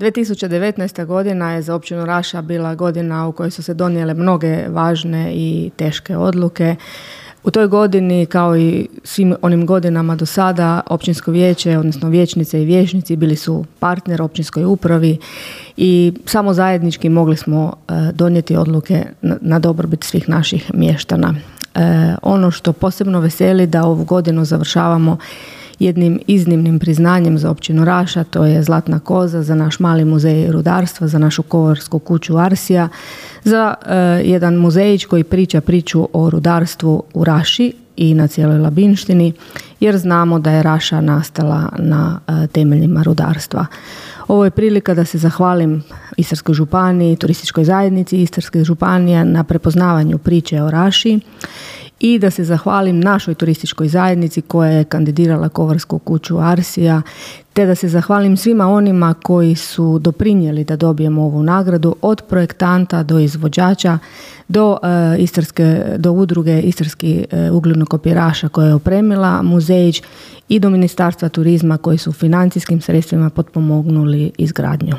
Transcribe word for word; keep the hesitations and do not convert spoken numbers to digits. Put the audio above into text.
dvije tisuće devetnaesta. godina je za općinu Raša bila godina u kojoj su se donijele mnoge važne i teške odluke. U toj godini, kao i svim onim godinama do sada, općinsko vijeće, odnosno vijećnice i vijećnici bili su partner općinskoj upravi i samo zajednički mogli smo donijeti odluke na, na dobrobit svih naših mještana. E, ono što posebno veseli da ovu godinu završavamo jednim iznimnim priznanjem za općinu Raša, to je Zlatna koza za naš mali muzej rudarstva, za našu kovarsku kuću Arsija, za e, jedan muzejić koji priča priču o rudarstvu u Raši i na cijeloj Labinštini, jer znamo da je Raša nastala na e, temeljima rudarstva. Ovo je prilika da se zahvalim Istarskoj županiji, turističkoj zajednici Istarske županije na prepoznavanju priče o Raši i da se zahvalim našoj turističkoj zajednici koja je kandidirala kovarsku kuću Arsija, te da se zahvalim svima onima koji su doprinijeli da dobijemo ovu nagradu, od projektanta do izvođača, do, e, istarske, do udruge Istarski e, ugljeno-kopiraša koja je opremila muzejić i do Ministarstva turizma koji su financijskim sredstvima potpomognuli izgradnju.